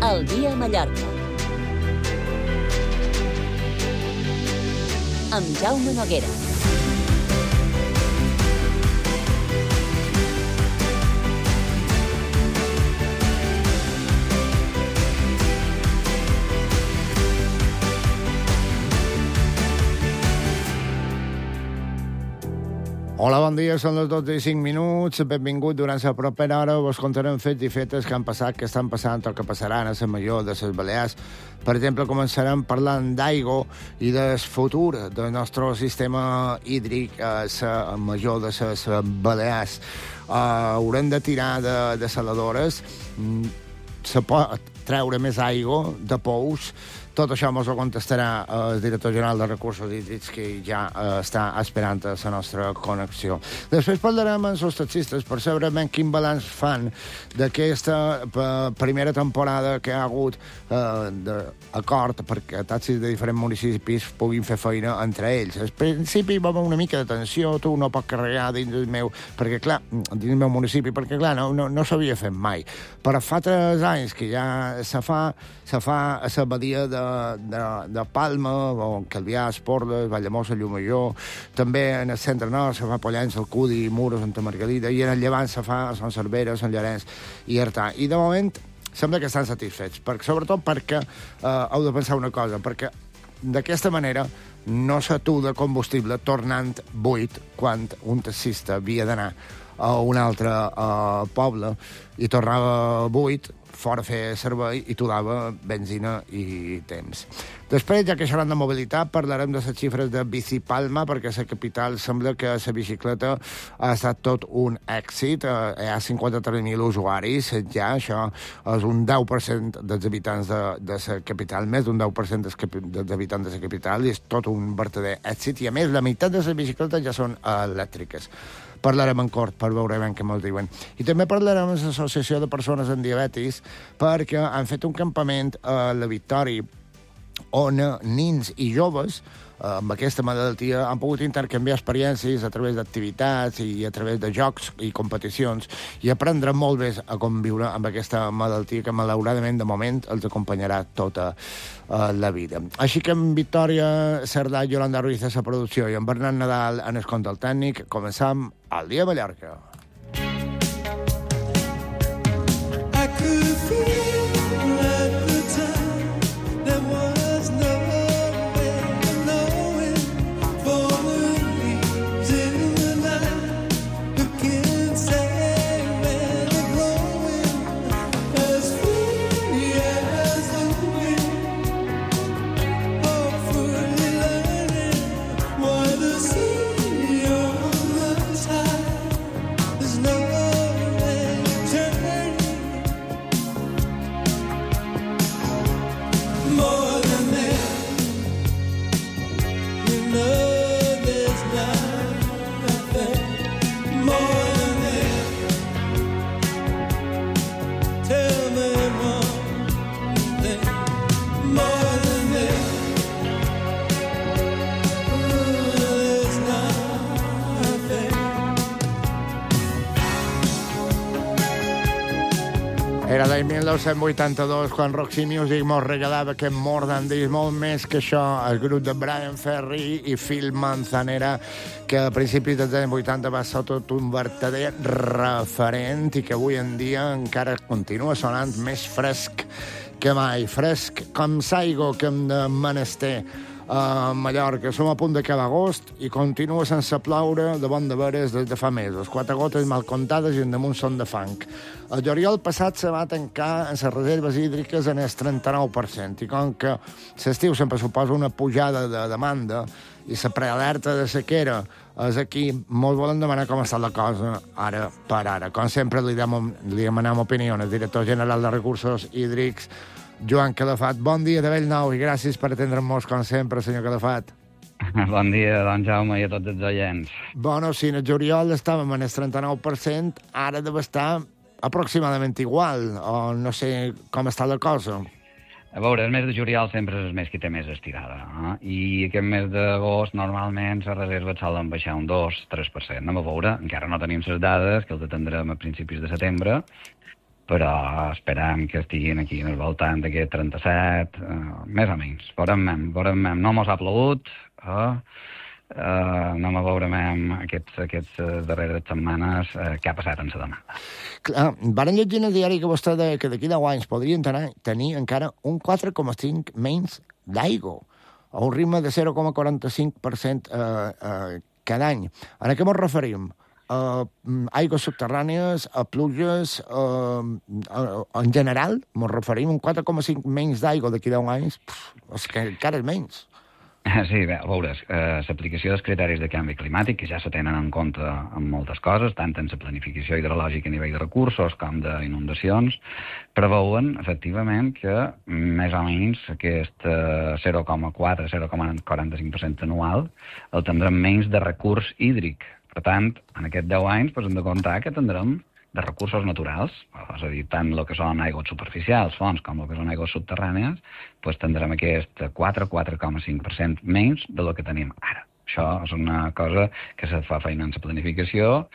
El dia a Mallorca. Amb Jaume Noguera. Hola, bon dia, són les 12:05. Benvingut. Durant la propera hora vos contarem fets i fetes que han passat, que estan passant o que passaran a la major de les Balears. Per exemple, començarem parlant d'aigua i del futur del nostre sistema hídric a la major de les Balears. Haurem de tirar de saladores, se pot treure més aigua de pous. Tot això ens ho contestarà el director general de Recursos Hídrics, que ja està esperant a la nostra connexió. Després parlarem amb els taxistes per saber ben quin balanç fan d'aquesta primera temporada que ha hagut d'acord perquè taxis de diferents municipis puguin fer feina entre ells. Al principi va haver una mica de tensió, tu no pots carregar dins del meu, perquè clar, dins del meu municipi, perquè clar, no s'havia fet mai. Però fa 3 anys que ja se fa a la badia de Palma, o Calvià, Esporles, Vallamosa, Llumajor, també en el centre nord se fa a Pollença, Alcudi, Muro, Santa Margalida, i en el llevant se fa a Sant Cervera, Sant Llorenç i Artà. I de moment sembla que estan satisfets, sobretot perquè heu de pensar una cosa, perquè d'aquesta manera no s'atura combustible tornant buit quan un taxista havia d'anar a un altre poble i tornava buit, fora a fer servei, i t'ho dava benzina i temps. Després, ja que xerrant de mobilitat, parlarem de les xifres de Bicipalma, perquè a la capital sembla que la bicicleta ha estat tot un èxit. Hi ha 53.000 usuaris, ja, això és un 10% dels habitants de la capital, més d'un 10% dels habitants de la capital, i és tot un verdader èxit, i a més, la meitat de les bicicletes ja són elèctriques. Parlarem en cort per veure ben què ens diuen. I també parlarem amb l'Associació de Persones amb Diabetis, perquè han fet un campament a la Victòria on nins i joves amb aquesta malaltia han pogut intercanviar experiències a través d'activitats i a través de jocs i competicions i aprendre molt bé a conviure amb aquesta malaltia que malauradament de moment els acompanyarà tota la vida. Així que amb Victòria Cerdà i Yolanda Ruiz a la producció i amb Bernat Nadal en el control tècnic, començam el dia a Mallorca. Era l'any 1982, quan Roxy Music mos regalava aquest More Than This, molt més que això, el grup de Brian Ferry i Phil Manzanera, que a principis dels anys 80 va ser tot un verdader referent i que avui en dia encara continua sonant més fresc que mai. Fresc com l'aigua que hem de menester a Mallorca. Som a punt d'acabar agost i continua sense ploure de bon de veres des de fa mesos. 4 gotes mal comptades i en damunt són de fang. El juliol passat se va tancar en les reserves hídriques en el 39%, i com que l'estiu sempre suposa una pujada de demanda i la prealerta de sequera és aquí, molt volen demanar com està la cosa ara per ara. Com sempre li demanem opinió al director general de Recursos Hídrics, Joan Calafat. Bon dia de Bellnou i gràcies per atendre'ns com sempre, senyor Calafat. Bon dia, don Jaume, i a tots els oients. Bueno, si en el juliol estàvem en el 39%, ara deu estar aproximadament igual, o no sé com està la cosa. A veure, el mes de juliol sempre és el mes que té més estirada, i aquest mes d'agost normalment les reserves solen baixar un 2-3%. Anem a veure, encara no tenim les dades, que els atendrem a principis de setembre, però esperem que estiguin aquí al voltant d'aquest 37, més o menys. Veurem. No mos ha plogut, anem a veure aquests darreres setmanes què ha passat en la demanda. Clar, varen llegir en el diari que vostè deia que d'aquí 10 anys podrien tenir encara un 4,5 menys d'aigua, a un ritme de 0,45% cada any. A què ens referim? Aigües subterrànies, a pluges, en general, ens referim un 4,5 menys d'aigua d'aquí 10 anys, és que encara és menys. Sí, bé, a veure, l'aplicació dels criteris de canvi climàtic, que ja se tenen en compte en moltes coses, tant en la planificació hidrològica a nivell de recursos com d'inundacions, preveuen, efectivament, que més o menys aquest 0,4-0,45% anual el tindrem menys de recurs hídric. Per tant, en aquests 10 anys hem de comptar que tindrem de recursos naturals, és a dir, tant el que són aigües superficials, fonts, com el que són aigües subterrànies, tindrem aquest 4,5% menys de lo que tenim ara. Això és una cosa que se fa feina en la planificació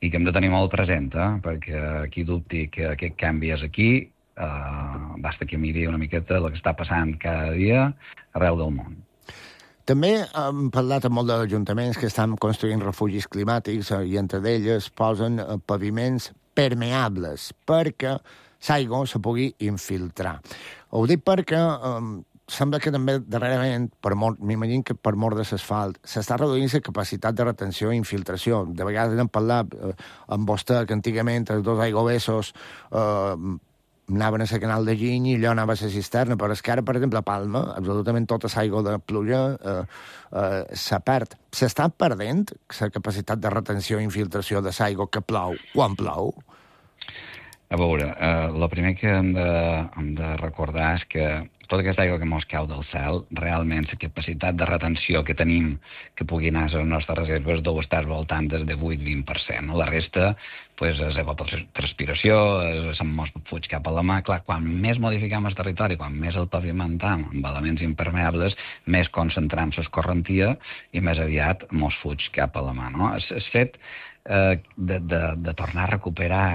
i que hem de tenir molt present, perquè qui dubti que aquest canvi és aquí, basta que miri una miqueta el que està passant cada dia arreu del món. També hem parlat amb molts d'ajuntaments que estan construint refugis climàtics i entre d'elles posen paviments permeables perquè l'aigua se pugui infiltrar. Ho dic perquè sembla que també darrerament, m'imagino que per mort de l'asfalt, s'està reduint la capacitat de retenció i infiltració. De vegades hem parlat amb vostè que antigament els dos aigüessos anaven a la canal de Giny i allò anava a la cisterna, però és que ara, per exemple, a Palma, absolutament tota l'aigua de pluja se perd. S'està perdent la capacitat de retenció i infiltració de l'aigua que plou quan plou? A veure, el primer que hem de recordar és que tota aquesta aigua que mos cau del cel, realment la capacitat de retenció que tenim que pugui anar a les nostres reserves deu estar voltant des de 8-20%. La resta és evapotranspiració, se'n mos fuig cap a la mà. Clar, quan més modificam el territori, quan més el pavimentam amb elements impermeables, més concentram l'escorrentia i més aviat mos fuig cap a la mà. No? El fet de tornar a recuperar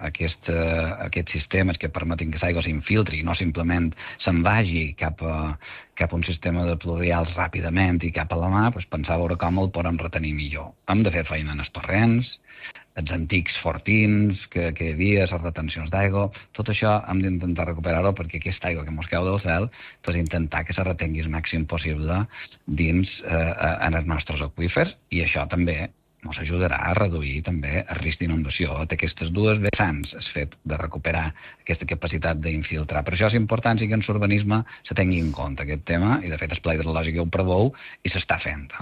aquests sistemes que permetin que l'aigua s'infiltri i no simplement se'n vagi cap a un sistema de pluvials ràpidament i cap a la mà, pensar a veure com el podem retenir millor. Hem de fer feina en els torrents, els antics fortins que hi havia, les retencions d'aigua, tot això hem d'intentar recuperar-ho perquè aquesta aigua que mos cau del cel, intentar que se retengui el màxim possible dins en els nostres aqüífers i això també ens ajudarà a reduir també el risc d'inundació. Aquestes dues vessants, el fet de recuperar aquesta capacitat d'infiltrar. Per això és important que en l'urbanisme se tingui en compte aquest tema i de fet el pla hidrològic ho preveu i s'està fent.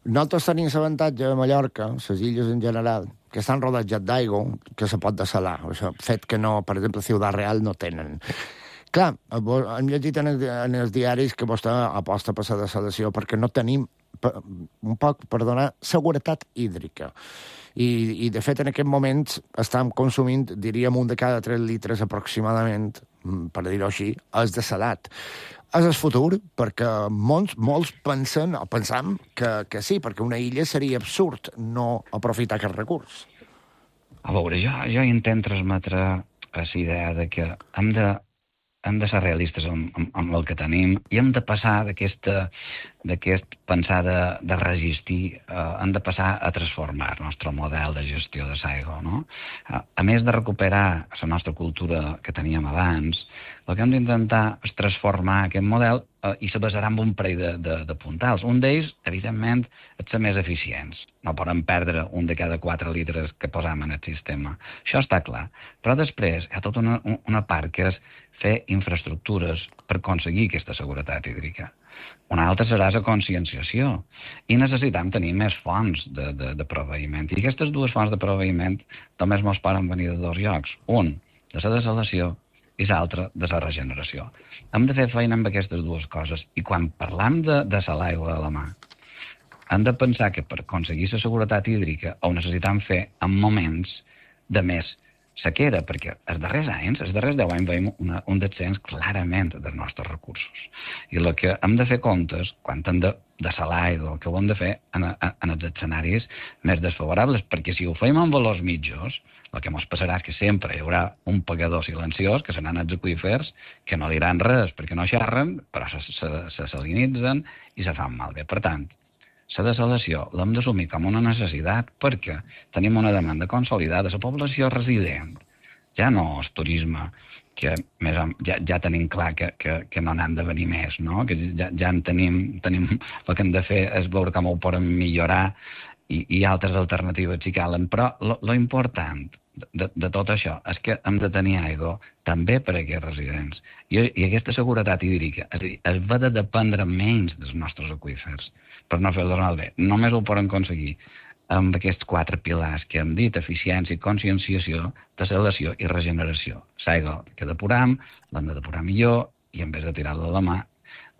Nosaltres tenim l'avantatge a Mallorca, les illes en general, que estan rodejats d'aigua, que se pot dessalar. Això, fet que no, per exemple, Ciutat Real no tenen. Clar, hem llegit en els diaris que vostè aposta per la dessalació perquè no tenim un poc per donar seguretat hídrica. I de fet, en aquest moment estem consumint, diríem, 1 de cada 3 litres aproximadament, per dir-ho així, és dessalat. És el futur, perquè molts pensem que sí, perquè una illa seria absurd no aprofitar aquest recurs. A veure, jo intento transmetre la idea de que hem de ser realistes amb el que tenim i hem de passar d'aquest pensar de resistir, hem de passar a transformar el nostre model de gestió de l'aigua. No? A més de recuperar la nostra cultura que teníem abans, el que hem d'intentar és transformar aquest model i se basarà en un parell de puntals. Un d'ells, evidentment, és ser més eficients. No podem perdre 1 de cada 4 litres que posam en el sistema. Això està clar. Però després hi ha tota una part que és fer infraestructures per aconseguir aquesta seguretat hídrica. Una altra serà la conscienciació. I necessitem tenir més fonts de proveïment. I aquestes dues fonts de proveïment només ens poden venir de 2 llocs. Un, de la dessalació, i l'altre, de la regeneració. Hem de fer feina amb aquestes dues coses. I quan parlam de dessalar aigua a la mà, hem de pensar que per aconseguir la seguretat hídrica ho necessitem fer en moments de més sequera, perquè els darrers 10 anys, veiem un descens clarament dels nostres recursos. I el que hem de fer comptes, quan hem de salar aigua, el que ho hem de fer en els escenaris més desfavorables, perquè si ho fem en valors mitjos, el que ens passarà és que sempre hi haurà un pagador silenciós, que seran els aqüífers, que no diran res perquè no xerren, però se salinitzen i se fan malbé. Per tant, la desalació l'hem d'assumir com una necessitat perquè tenim una demanda consolidada. La població resident ja no és turisme, que ja tenim clar que no n'han de venir més, no? Que ja en tenim el que hem de fer és veure com ho podem millorar i altres alternatives si calen, però lo important de tot això és que hem de tenir aigua també per a aquests residents. I aquesta seguretat hídrica, és a dir, es va de dependre menys dels nostres aqüífers per no fer-los malbé. Només ho poden aconseguir amb aquests 4 pilars que hem dit: eficiència, conscienciació, desalació i regeneració. L'aigua que depuram, l'hem de depurar millor i en vez de tirar-la a la mà,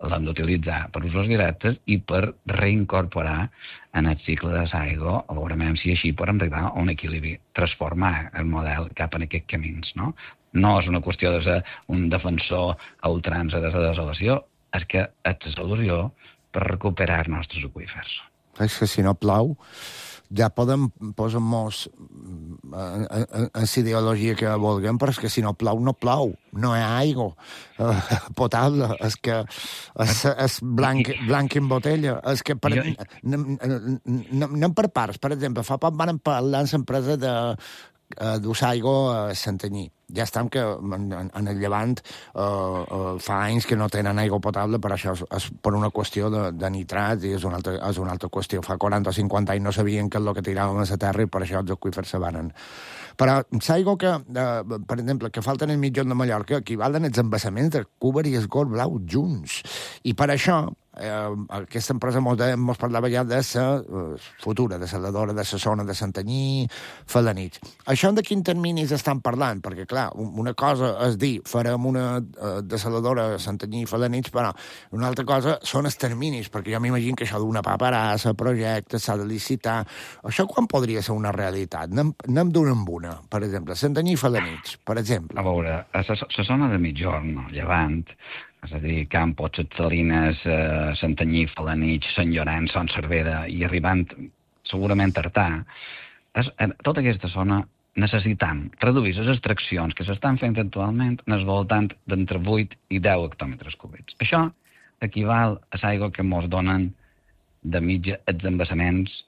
l'hem d'utilitzar per usos directes i per reincorporar en el cicle de l'aigua, a veure si així podem arribar a un equilibri, transformar el model cap en aquests camins. No és una qüestió de ser un defensor a ultrança de la desalació, és que és la solució per recuperar els nostres aqüífers. És que si no plou, ja podem posar-nos en la ideologia que vulguem, però és que si no plou, no plou. No hi ha aigua potable. És que és blanc en botella. És que anem per parts. Per exemple, fa poc van parlar en l'empresa d'usar aigua a Santanyí. Ja estem que en el Llevant fa anys que no tenen aigua potable, però això és per una qüestió de nitrats i és una altra qüestió. Fa 40 o 50 anys no sabien què és el que tiràvem a la terra i per això els aqüífers se van. Però l'aigua que, per exemple, que falta en el mitjon de Mallorca equivalen els embassaments de Cúber i el Gorg Blau junts. I per això aquesta empresa mos parlava ja de la futura desaladora de la zona de Santanyí, Felanitx. Això de quins terminis estan parlant? Perquè, clar, una cosa és dir farem una desaladora a Santanyí i Felanitx, però una altra cosa són els terminis, perquè jo m'imagino que això d'una paperassa, projecte, s'ha de licitar. Això quan podria ser una realitat? Anem d'una en una, per exemple, Santanyí i Felanitx, per exemple. A veure, a la zona de Migjorn, Llevant, és a dir, Campos, Ses Salines, Santanyí, Felanitx, Sant Llorenç, Son Cervera i arribant segurament a Artà, tota aquesta zona necessitant reduir les extraccions que s'estan fent actualment en el voltant d'entre 8 i 10 hectòmetres cúbics. Això equival a l'aigua que ens donen de mitja els embassaments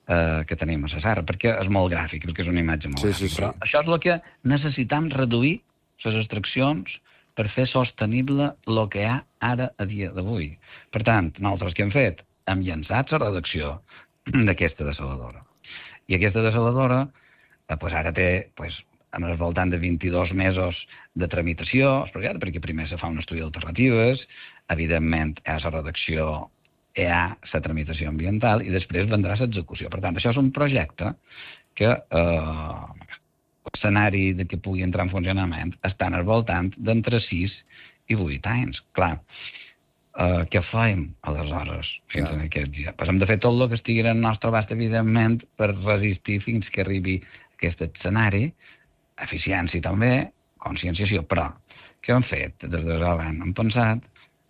que tenim a la serra, perquè és molt gràfic, perquè és una imatge molt gràfica. Però això és el que necessitem reduir les extraccions per fer sostenible el que hi ha ara a dia d'avui. Per tant, nosaltres què hem fet? Hem llançat la redacció d'aquesta desaladora. I aquesta desaladora ara té en el voltant de 22 mesos de tramitació, perquè primer se fa un estudi d'alternatives, evidentment hi ha la redacció, hi ha la tramitació ambiental i després vendrà l'execució. Per tant, això és un projecte que l'escenari que pugui entrar en funcionament està al voltant d'entre 6 i 8 anys. Clar, què fem aleshores fins a aquest dia? Hem de fer tot el que estigui al nostre abast, evidentment, per resistir fins que arribi aquest escenari, eficiència també, conscienciació, però què hem fet? Des de l'any hem pensat,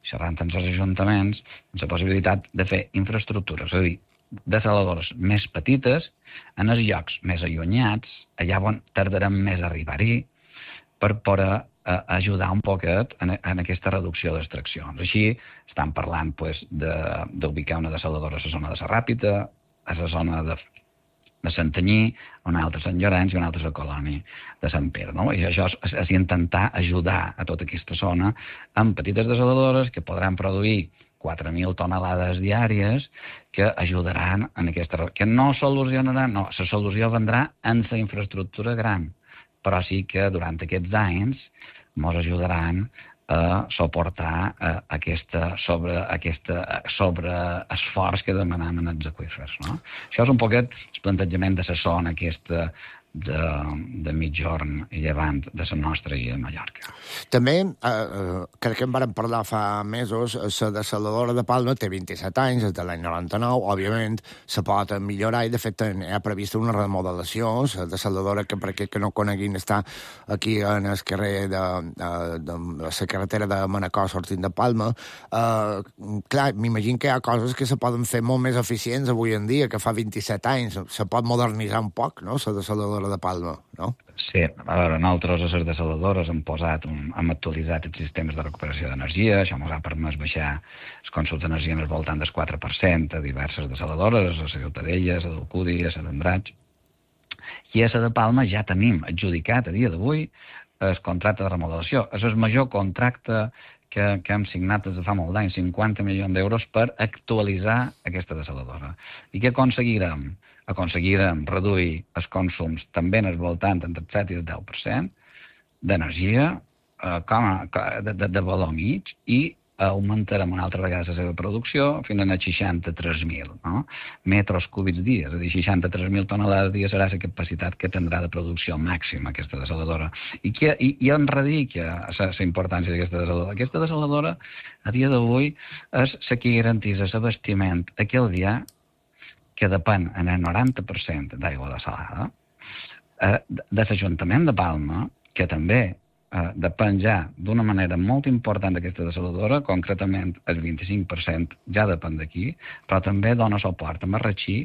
xerrant amb els ajuntaments, la possibilitat de fer infraestructures, és a dir, desaladores més petites, en els llocs més allunyats, allà on tardarem més a arribar-hi, per poder ajudar un poquet en aquesta reducció d'extraccions. Així estan parlant d'ubicar una desaladora a la zona de la Ràpita, a la zona de Santanyí, una altra a Sant Llorenç i una altra a la colònia de Sant Pere. I això és intentar ajudar a tota aquesta zona amb petites desaladores que podran produir 4.000 tonelades diàries que ajudaran en aquesta... que no solucionaran, no, la solució vendrà en la infraestructura gran, però sí que durant aquests anys ens ajudaran a suportar aquest sobreesforç que demanem en els aqüífers. Això és un poquet el plantejament de la zona aquesta de mitjorn i llevant de la nostra illa de Mallorca. També, crec que en vàrem parlar fa mesos, la dessaladora de Palma té 27 anys, és de l'any 99, òbviament se pot millorar i de fet hi ha prevista una remodelació. La dessaladora, que per aquells que no coneguin, està aquí en el carrer de la carretera de Manacor sortint de Palma. Clar, m'imagino que hi ha coses que se poden fer molt més eficients avui en dia, que fa 27 anys. Se pot modernitzar un poc, no?, la dessaladora de Palma, no? Sí, a veure, nosaltres a les dessaladores hem actualitzat els sistemes de recuperació d'energia, això ens ha permès baixar els consums d'energia en el voltant del 4% a diverses dessaladores, a la Ciutadella, a l'Alcúdia, a la d'Andratx. I a la de Palma ja tenim adjudicat a dia d'avui el contracte de remodelació. És el major contracte que hem signat des de fa molt d'anys, 50 milions d'euros per actualitzar aquesta dessaladora. I què aconseguirem? Aconseguirem reduir els consums també en el voltant entre el 7 i el 10% d'energia de valor mig i augmentarem una altra vegada la seva producció fins a 63.000 metres cúbics dia, és a dir, 63.000 tonelades dia serà la capacitat que tindrà de producció màxima aquesta dessaladora. I on radica la importància d'aquesta dessaladora? Aquesta dessaladora, a dia d'avui, és la que garanteix l'abastiment aquell dia que depèn en el 90% d'aigua dessalada, de l'Ajuntament de Palma, que també depèn ja d'una manera molt important d'aquesta dessaladora, concretament el 25% ja depèn d'aquí, però també dona suport a Marratxí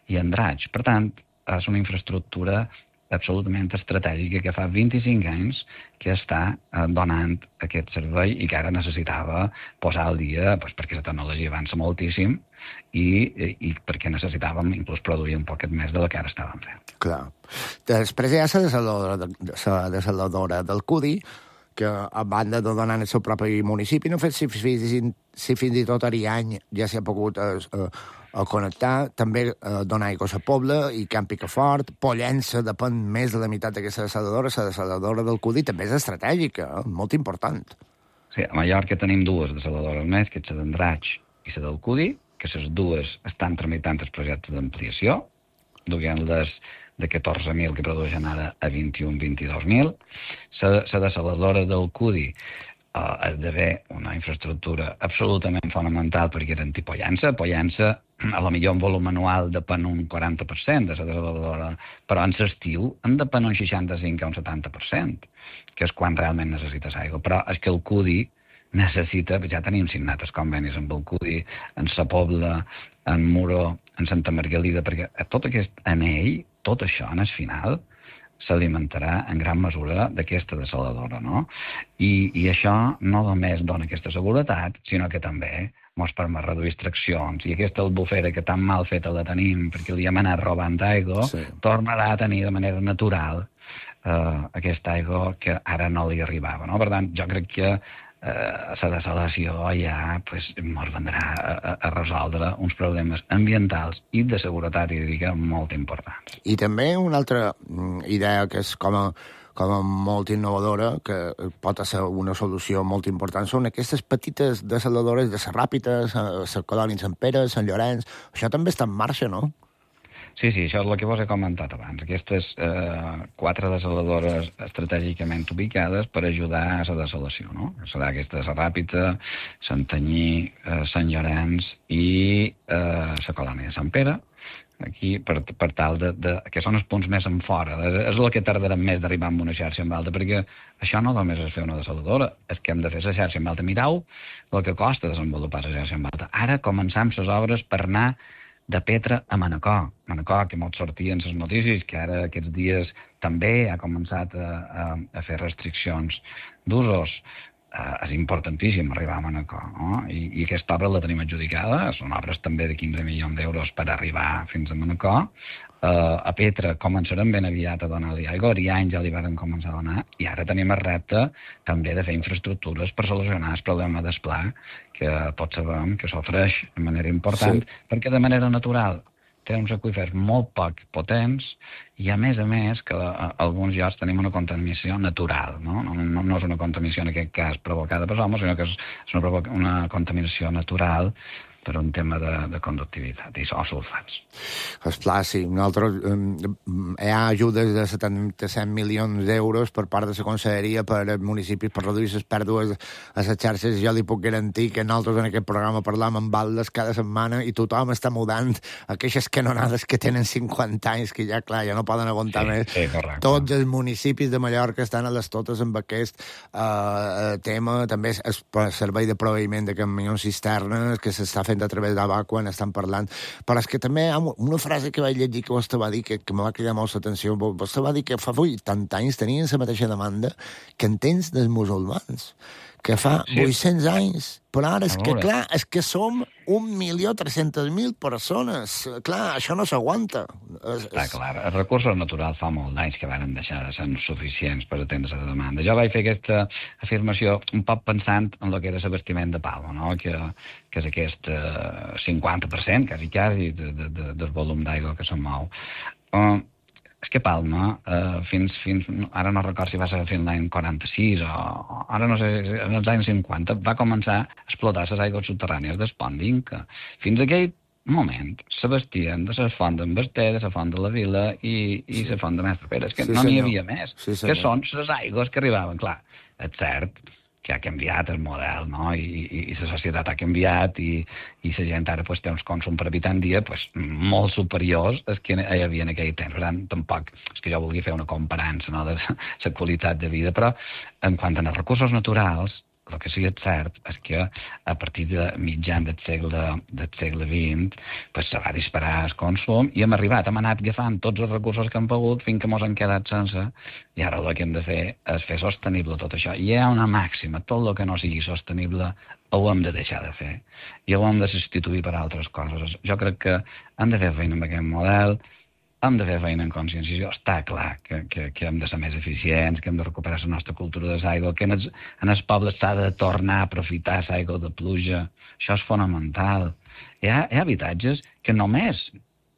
i a Andratx. Per tant, és una infraestructura absolutament estratègica que fa 25 anys que està donant aquest servei i que ara necessitava posar al dia perquè la tecnologia avança moltíssim i perquè necessitàvem inclús produir un poquet més de la que ara estàvem fent. Clar. Després hi ha la dessaladora del Cudi, que a banda de donar en el seu propi municipi, no sé si fins i tot Ariany ja s'ha pogut connectar, també donar aigua a Pobla i Camp Picafort. Pollença depèn més de la meitat d'aquesta dessaladora. La dessaladora del Cudi també és estratègica, molt important. Sí, a Mallorca tenim dues dessaladores més, que és la d'Andratx i la del Cudi, que les dues estan tramitant els projectes d'ampliació, duent-les de 14.000 que produeixen ara a 21-22.000. La dessaladora del Cudi esdevé una infraestructura absolutament fonamental per garantir Pollença. Pollença, a lo millor en volum anual depèn un 40% de la dessaladora, però en l'estiu en depèn un 65 o un 70%, que és quan realment necessites aigua. Però és que el Cudi necessita, ja tenim signat els convenis amb el Cudi, en Sa Pobla, en Muro, en Santa Margalida, perquè tot aquest anell, tot això, en el final, s'alimentarà en gran mesura d'aquesta dessaladora, no? I això no només dona aquesta seguretat, sinó que també ens permet reduir extraccions, i aquesta albufera que tan mal feta la tenim perquè li hem anat robant aigua, tornarà a tenir de manera natural aquesta aigua que ara no li arribava, no? Per tant, jo crec que la dessalació ja ens vendrà a resoldre uns problemes ambientals i de seguretat hídrica molt importants. I també una altra idea que és com a molt innovadora, que pot ser una solució molt important, són aquestes petites dessaladores de Serràpites, la colònia Sant Pere, Sant Llorenç. Això també està en marxa, no? Sí, això és el que vos he comentat abans. Aquestes 4 dessaladores estratègicament ubicades per ajudar a la dessalació, no? Serà aquesta Serràpita, Santanyí, Sant Llorenç i la colònia de Sant Pere, aquí per tal que són els punts més en fora. És el que tardarem més d'arribar amb una xarxa en alta, perquè això no només és fer una dessaladora, és que hem de fer la xarxa en alta. Mireu el que costa desenvolupar la xarxa en alta. Ara començam les obres per anar de Petra a Manacor. Manacor, que molt sortien les notícies, que ara aquests dies també ha començat a fer restriccions d'usos. És importantíssim arribar a Manacor, no? I aquesta obra la tenim adjudicada, són obres també de 15 milions d'euros per arribar fins a Manacor. A Petra començarem ben aviat a donar-li aigua, a Ariany ja li varen començar a donar, i ara tenim el repte també de fer infraestructures per solucionar el problema del pla, que tots sabem que s'ofereix de manera important, perquè de manera natural té uns aqüífers molt poc potents i, a més, que a alguns llocs tenim una contaminació natural, no? No és una contaminació, en aquest cas, provocada per l'home, sinó que és una contaminació natural per un tema de conductivitat o sulfats. Esclar, sí. Nosaltres hi ha ajudes de 77 milions d'euros per part de la Conselleria per als municipis per reduir les pèrdues a les xarxes. Jo li puc garantir que nosaltres en aquest programa parlam amb baldes cada setmana i tothom està mudant aquelles canonades que tenen 50 anys, que ja, clar, ja no poden aguantar més. Sí, correcte. Tots els municipis de Mallorca estan a les totes amb aquest tema. També el servei de proveïment de camions cisternes que s'està fent a través d'ABA quan estan parlant. Però és que també hi ha una frase que vaig llegir que vostè va dir que me va cridar molt l'atenció. Vostè va dir que fa 80 anys tenien la mateixa demanda que en temps dels musulmans, que fa 800 anys. Però ara és que, clar, és que som 1.300.000 persones. Clar, això no s'aguanta. Està clar. Els recursos naturals fa molt d'anys que van deixar de ser suficients per atendre la demanda. Jo vaig fer aquesta afirmació un poc pensant en el que era l'abastiment de Palma, no? que és aquest 50%, quasi, del volum d'aigua que se'n mou. És que Palma, fins ara no recordo si va ser fins l'any 46 o ara no sé, en els anys 50, va començar a explotar les aigües subterrànies del Pont d'Inca. Fins aquell moment s'abastien de la font d'en Basté, de la font de la Vila i la font de Mestre Pere. És que no n'hi havia més. Que són les aigües que arribaven. Clar, és cert que ha canviat el model, no? I la societat ha canviat i la gent ara pues, té uns consums per habitant dia pues, molt superiors als que hi havia en aquell temps. Per tant, tampoc és que jo vulgui fer una comparança, no, de la qualitat de vida, però en quant als recursos naturals, el que sí que és cert és que a partir de mitjan del segle XX pues, se va disparar el consum i hem anat agafant tots els recursos que hem pogut fins que ens han quedat sense i ara el que hem de fer és fer sostenible tot això. I hi ha una màxima, tot el que no sigui sostenible ho hem de deixar de fer i ho hem de substituir per altres coses. Jo crec que hem de fer feina amb aquest model, hem de fer feina en conscienciació. Està clar que hem de ser més eficients, que hem de recuperar la nostra cultura de l'aigua, que en els pobles s'ha de tornar a aprofitar l'aigua de pluja. Això és fonamental. Hi ha habitatges que només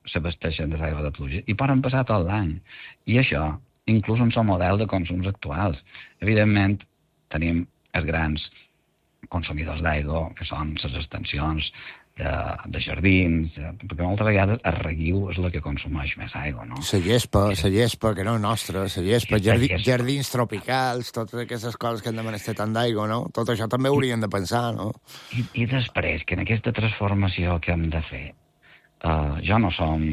s'abasteixen de l'aigua de pluja i poden passar tot l'any. I això, inclús en el model de consums actuals. Evidentment, tenim els grans consumidors d'aigua, que són les extensions de jardins, perquè moltes vegades el reguiu és el que consumeix més aigua, no? La gespa, que no és nostra, la gespa, jardins tropicals, totes aquestes coses que hem de menester tant d'aigua, no? Tot això també hauríem de pensar, no? I després, que en aquesta transformació que hem de fer, jo no som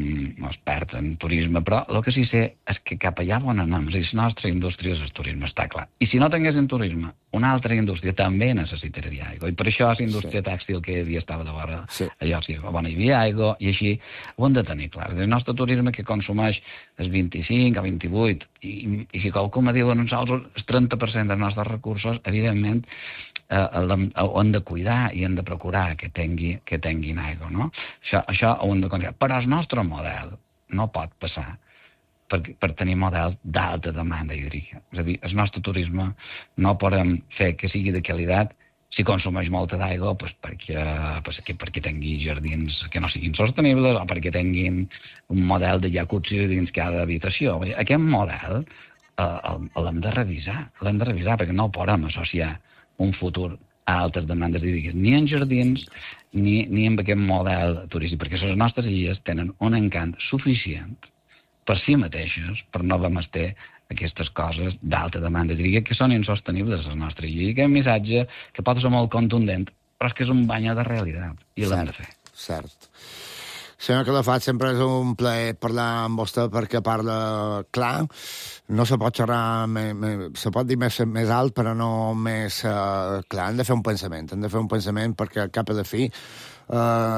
expert en turisme, però el que sí sé és que cap allà on anem, la nostra indústria és el turisme, està clar. I si no tinguéssim turisme, una altra indústria també necessitaria aigua, i per això la indústria tèxtil que hi havia estava de vora, allò sí, on hi havia aigua, i així ho hem de tenir clar. El nostre turisme que consumeix el 25 o 28, i si qualcú me diu a nosaltres el 30% dels nostres recursos, evidentment, ho hem de cuidar i hem de procurar que tinguin aigua, no? Això ho hem de considerar. Però el nostre model no pot passar per tenir models d'alta demanda hídrica. És a dir, el nostre turisme no podem fer que sigui de qualitat si consumeix molta d'aigua perquè tingui jardins que no siguin sostenibles o perquè tinguin un model de jacuzzi dins cada habitació. Aquest model l'hem de revisar, perquè no podem associar un futur a altres demandes hídriques, ni en jardins ni en aquest model turístic, perquè les nostres illes tenen un encant suficient per si mateixes, per no menester aquestes coses d'alta demanda hídrica que són insostenibles a les nostres illes. I aquest missatge, que pot ser molt contundent, però és que és un bany de realitat, i l'hem de fer. Cert. Senyor Calafat, sempre és un plaer parlar amb vostè perquè parla clar. No se pot xerrar, se pot dir més alt, però no més clar. Hem de fer un pensament, perquè al cap i a la fi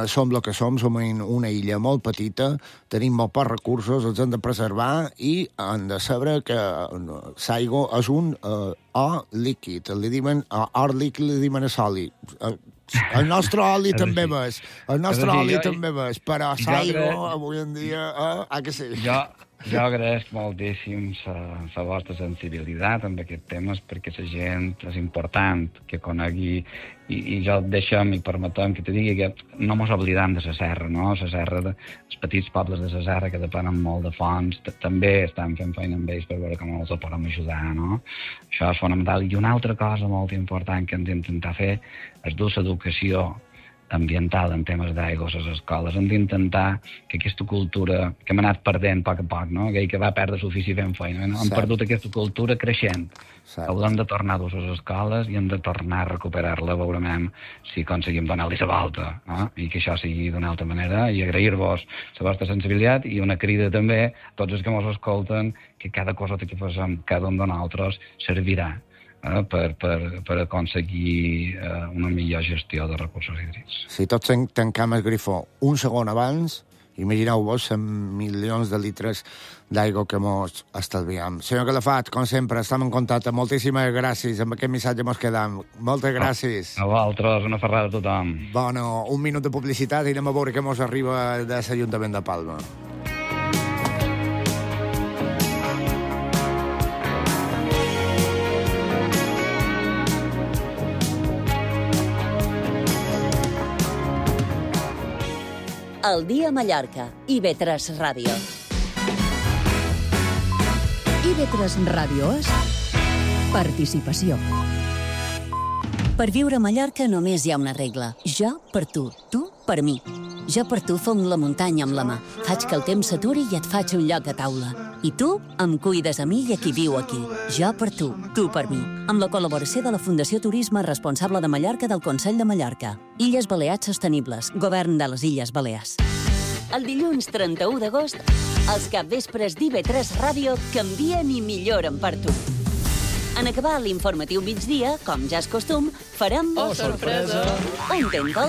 som el que som una illa molt petita, tenim molt pocs recursos, els hem de preservar i hem de saber que l'aigua és un or líquid. Li diuen or líquid, li diuen oli. El nostre oli també ves. Però l'aigua avui en dia que sí. Jo agraeix moltíssim la vostra sensibilitat amb aquests temes, perquè la gent és important que conegui, i jo deixem i permetem que te digui que no mos oblidem de la serra, no? La serra, els petits pobles de la serra que depenen molt de fonts, també estan fent feina amb ells per veure com els podem ajudar, no? Això és fonamental. I una altra cosa molt important que hem d'intentar fer és dur l'educació ambiental en temes d'aigua a les escoles. Hem d'intentar que aquesta cultura que hem anat perdent a poc, no? Que va perdre suficient feina, no? Hem perdut aquesta cultura creixent. Haurem de tornar a les escoles i hem de tornar a recuperar-la, veurem si aconseguim donar-li la volta, no? I que això sigui d'una altra manera, i agrair-vos la vostra sensibilitat i una crida també a tots els que ens escolten que cada cosa que fem cada un de nosaltres servirà per aconseguir una millor gestió de recursos hídrics. Si tots tancam el grifó un segon abans, imagineu-vos milions de litres d'aigua que mos estalviem. Senyor Calafat, com sempre, estem en contacte. Moltíssimes gràcies. Amb aquest missatge mos quedam. Moltes gràcies. A vosaltres, una ferrada a tothom. Bueno, un minut de publicitat i anem a veure què mos arriba de l'Ajuntament de Palma. El dia a Mallorca, IB3 Ràdio. IB3 Ràdio és participació. Per viure a Mallorca només hi ha una regla. Jo per tu per mi. Jo per tu fong la muntanya amb la mà. Faig que el temps s'aturi i et faig un lloc a taula. I tu em cuides a mi i a qui viu aquí. Jo per tu per mi. Amb la col·laboració de la Fundació Turisme Responsable de Mallorca del Consell de Mallorca. Illes Balears Sostenibles, Govern de les Illes Balears. El dilluns 31 d'agost, els capvespres d'IB3 Ràdio canvien i milloren per tu. En acabar l'informatiu migdia, com ja és costum, farem... Oh, sorpresa! Un Tento.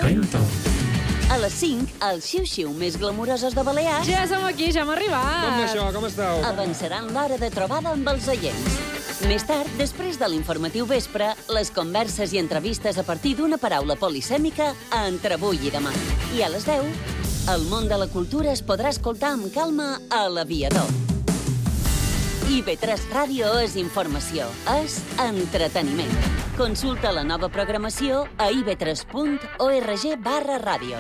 A les 5, els xiu-xiu més glamorosos de Balears... Ja som aquí, ja hem arribat! Com això? Com esteu? Avançaran l'hora de trobada amb els oients. Més tard, després de l'informatiu vespre, les converses i entrevistes a partir d'una paraula polisèmica a Entre avui i demà. I a les 10, el món de la cultura es podrà escoltar amb calma a l'Aviador. IB3 Ràdio és informació, és entreteniment. Consulta la nova programació a ib3.org/ràdio.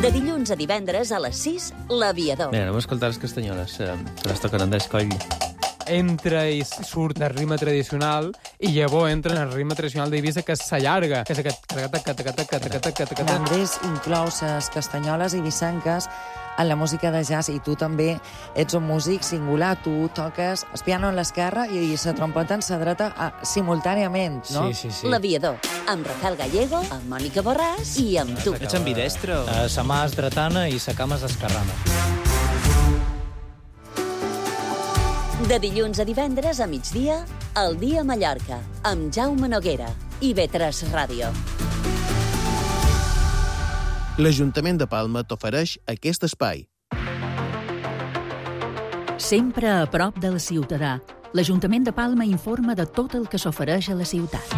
De dilluns a divendres a les 6, l'Aviador. Bé, anem a escoltar les castanyoles, que les tocaran d'escoll. Entra i surt el ritme tradicional i llavors entra en el ritme tradicional d'Eivissa, que s'allarga, que és aquest... L'Andrés inclou les castanyoles eivissenques en la música de jazz, i tu també ets un músic singular. Tu toques el piano en l'esquerra i la trompeta en la dreta simultàniament, no? Sí. L'Aviador, amb Rafael Gallego, amb Mònica Borràs i amb tu. Ets ambidestre? Sa mà és dretana i sa cama és esquerrana. De dilluns a divendres a migdia, El dia a Mallorca, amb Jaume Noguera, IB3 Ràdio. L'Ajuntament de Palma t'ofereix aquest espai. Sempre a prop del ciutadà, l'Ajuntament de Palma informa de tot el que s'ofereix a la ciutat.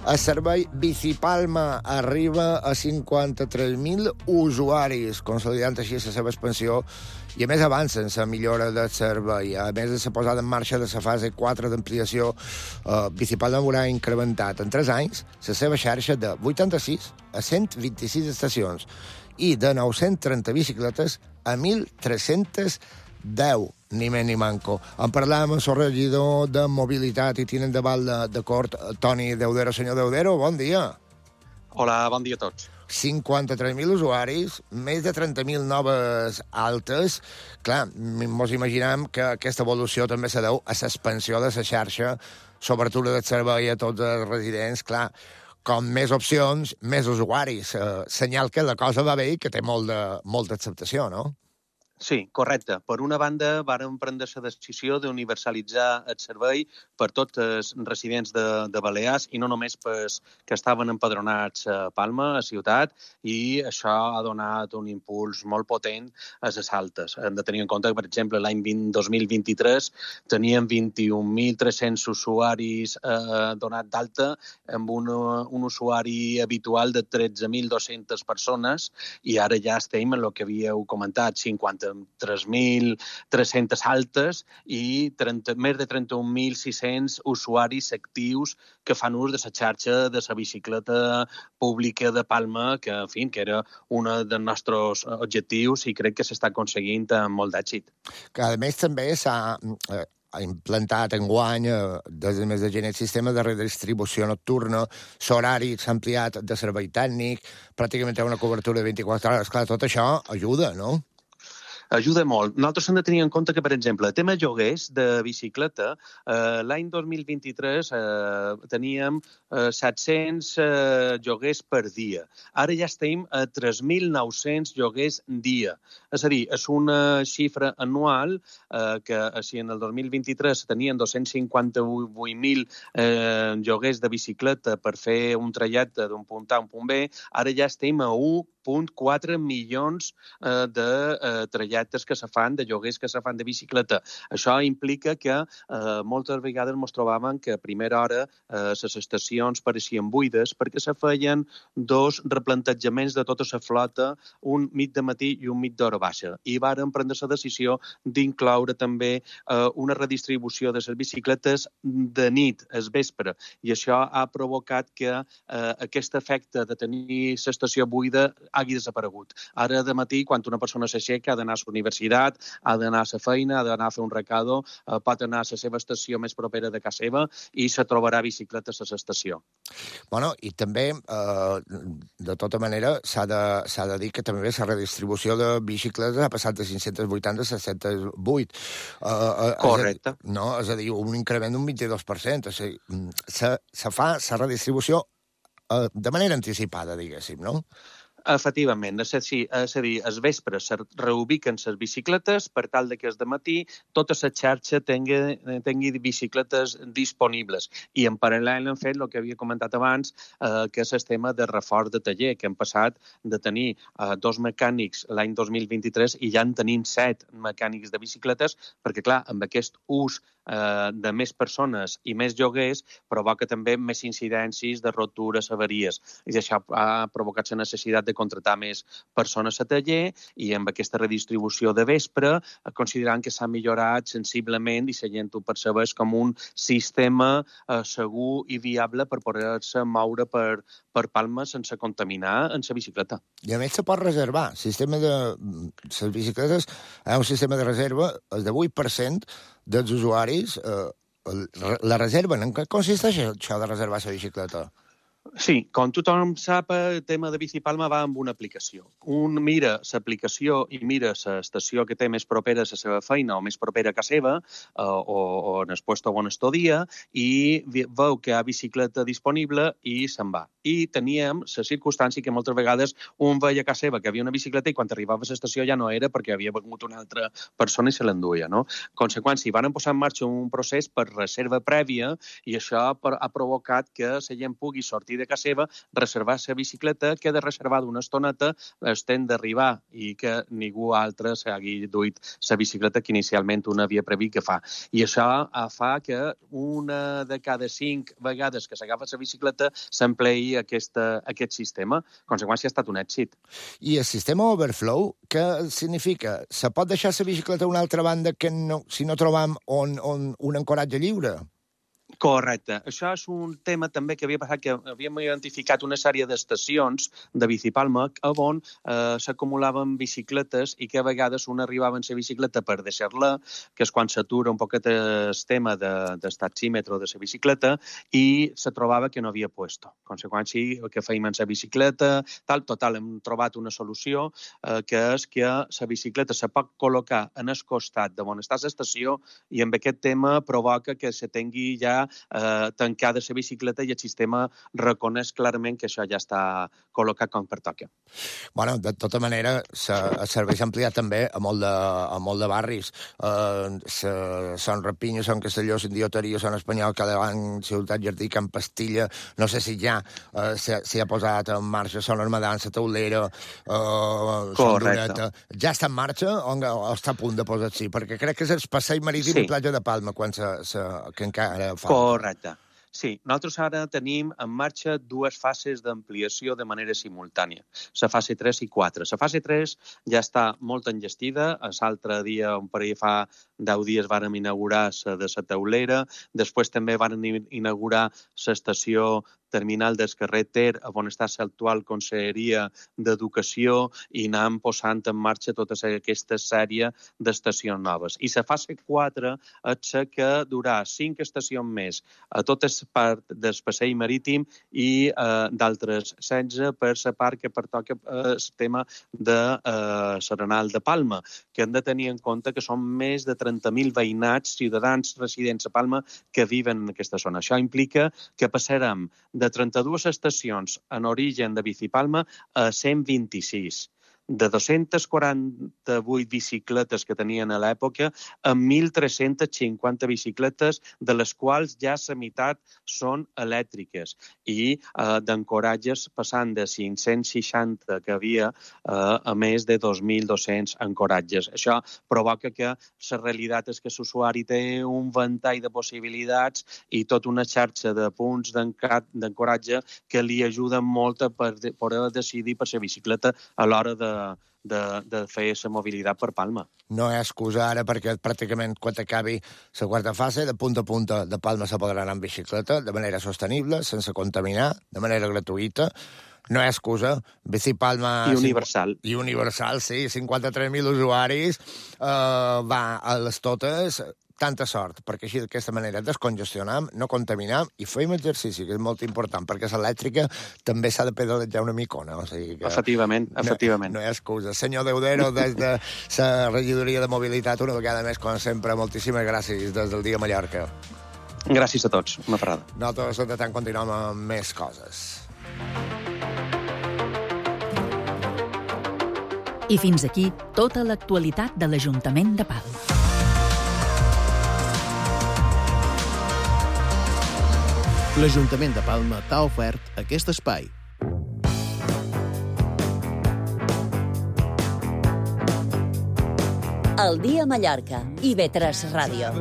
El servei Bicipalma arriba a 53.000 usuaris, consolidant així la seva expansió, i a més avancen la millora del servei. A més de la posada en marxa de la fase 4 d'ampliació, Bicipalma haurà incrementat en 3 anys la seva xarxa de 86 a 126 estacions i de 930 bicicletes a 1.310, ni més ni manco. En parlàvem amb el regidor de Mobilitat i tinent de Val de Cort, Toni Deudero. Senyor Deudero, bon dia. Hola, bon dia a tots. 53.000 usuaris, més de 30.000 noves altes. Clar, mos imaginem que aquesta evolució també se deu a l'expansió de la xarxa, s'obertura del servei a tots els residents. Clar, com més opcions, més usuaris. Senyal que la cosa va bé i que té molta acceptació, no? Sí, correcte. Per una banda, vàrem prendre la decisió d'universalitzar el servei per tots els residents de Balears i no només pels que estaven empadronats a Palma, a ciutat, i això ha donat un impuls molt potent a les altes. Hem de tenir en compte que, per exemple, l'any 2023 teníem 21.300 usuaris donats d'alta amb un usuari habitual de 13.200 persones i ara ja estem en el que havíeu comentat, 53.300 altes i més de 31.600 usuaris actius que fan ús de la xarxa de la bicicleta pública de Palma, que, en fi, que era un dels nostres objectius i crec que s'està aconseguint amb molt d'èxit. Que, a més, també implantat enguany, des del mes de gener, el sistema de redistribució nocturna, l'horari s'ha ampliat de servei tècnic, pràcticament té una cobertura de 24 hores. Clar, tot això ajuda, no? Ajuda molt. Nosaltres hem de tenir en compte que, per exemple, el tema lloguers de bicicleta, l'any 2023 teníem 700 lloguers per dia. Ara ja estem a 3.900 lloguers dia. És a dir, és una xifra anual que si en el 2023 tenien 258.000 lloguers de bicicleta per fer un trajecte d'un punt A a un punt B, ara ja estem a 1,4 milions de trajectes que se fan, de lloguers que se fan de bicicleta. Això implica que moltes vegades ens trobàvem que a primera hora les estacions pareixien buides perquè se feien dos replantejaments de tota la flota, un mig de matí i un mig d'hora baixa. I vàrem prendre la decisió d'incloure també una redistribució de les bicicletes de nit, al vespre. I això ha provocat que aquest efecte de tenir l'estació buida hagi desaparegut. Ara, de matí, quan una persona s'aixeca, ha d'anar a la universitat, ha d'anar a la feina, ha d'anar a fer un recado, pot anar a la seva estació més propera de casa seva i se trobarà bicicletes a l'estació. Bueno, i també, de tota manera, s'ha de dir que també la redistribució de bicicletes ha passat de 580 a 708. Correcte. És a dir, un increment d'un 22%. O sigui, se fa la redistribució de manera anticipada, diguéssim, no? Efectivament, és a dir, al vespre se reubiquen les bicicletes per tal que el matí tota la xarxa tingui bicicletes disponibles. I en paral·lel hem fet el que havia comentat abans, que és el tema de reforç de taller, que hem passat de tenir 2 mecànics l'any 2023 i ja en tenim 7 mecànics de bicicletes, perquè, clar, amb aquest ús de més persones i més lloguers provoca també més incidències de ruptures, avaries. I això ha provocat la necessitat de contractar més persones a taller i amb aquesta redistribució de vespre considerant que s'ha millorat sensiblement i la gent ho percebeix com un sistema segur i viable per poder-se moure per Palma sense contaminar en la bicicleta. I a més se pot reservar. El sistema de les bicicletes és un sistema de reserva, el de 8% dels usuaris la reserven. En què consisteix això de reservar la bicicleta? Sí, com tothom sap, el tema de Bicipalma va amb una aplicació. Un mira l'aplicació i mira l'estació que té més propera a la seva feina o més propera a casa seva o en el puesto on estudia i veu que hi ha bicicleta disponible i se'n va. I teníem la circumstància que moltes vegades un veia a casa seva que havia una bicicleta i quan arribava a l'estació ja no era perquè havia vingut una altra persona i se l'enduia, no? En conseqüència, van posar en marxa un procés per reserva prèvia i això ha provocat que la gent pugui sortir de casa seva, reservar la bicicleta, queda reservada una estoneta, estem d'arribar i que ningú altre s'hagi duit la bicicleta que inicialment una havia previst que fa. I això fa que una de cada 5 vegades que s'agafa la bicicleta s'empleï aquest sistema. En conseqüència, ha estat un èxit. I el sistema Overflow, què significa? Se pot deixar la bicicleta a una altra banda que si no trobam un ancoratge lliure? Correcte. Això és un tema també que havia passat, que havíem identificat una sèrie d'estacions de Bicipalma on s'acumulaven bicicletes i que a vegades un arribava en la bicicleta per deixar-la, que és quan s'atura un poquet el tema del taxímetre de la bicicleta i se trobava que no havia puesto. En conseqüència, que feim en la bicicleta, total, hem trobat una solució que és que la bicicleta se pot col·locar en el costat de on està l'estació i amb aquest tema provoca que se tingui ja tancada la bicicleta i el sistema reconeix clarament que això ja està col·locat com pertoca. Bueno, de tota manera, el servei s'ha ampliat també a molt de barris. Són Rapinya, són Castelló, són Dioteria, són Espanyol, Cadevant, Ciutat Jardí, Can Pastilla, no sé si ja s'hi ha posat en marxa, són Armadan, la Taulera, són Dureta. Ja està en marxa o està a punt de posar-s'hi? Perquè crec que és el passeig marítim i platja de Palma, que encara fa. Correcte. Sí, nosaltres ara tenim en marxa 2 fases d'ampliació de manera simultània, la fase 3 i 4. La fase 3 ja està molt enllestida, l'altre dia, un parell fa 10 dies, vàrem inaugurar la de la Taulera, després també vàrem inaugurar l'estació terminal del carrer Ter, on està l'actual Conselleria d'Educació, i anam posant en marxa tota aquesta sèrie d'estacions noves. I la fase 4 és la que durà 5 estacions més a tota la part del passeig marítim i d'altres 16 per la part que pertoca el tema de l'Arenal de Palma, que hem de tenir en compte que són més de 30.000 veïnats, ciutadans residents a Palma, que viven en aquesta zona. Això implica que passarem de 32 estacions en origen de Bicipalma a 126. De 248 bicicletes que tenien a l'època a 1.350 bicicletes, de les quals ja la meitat són elèctriques, i d'ancoratges passant de 560 que havia a més de 2.200 ancoratges. Això provoca que la realitat és que l'usuari té un ventall de possibilitats i tota una xarxa de punts d'ancoratge que li ajuden molt a poder decidir per la bicicleta a l'hora de fer la mobilitat per Palma. No hi ha excusa ara, perquè pràcticament quan acabi la quarta fase, de punta a punta de Palma se podrà anar en bicicleta de manera sostenible, sense contaminar, de manera gratuïta. No hi ha excusa. Bicipalma... I universal. I universal, sí. 53.000 usuaris, va a les totes. Tanta sort, perquè així d'aquesta manera descongestionam, no contaminam i fem exercici, que és molt important, perquè l'elèctrica també s'ha de pedalejar una micona. O sigui que efectivament. No hi ha excusa. Senyor Deudero, des de la regidoria de mobilitat, una vegada més, com sempre, moltíssimes gràcies des del dia Mallorca. Gràcies a tots. Una parada. Nosaltres, de tant, continuem amb més coses. I fins aquí tota l'actualitat de l'Ajuntament de Palma. L'Ajuntament de Palma t'ha ofert aquest espai. El dia a Mallorca, IB3 Ràdio.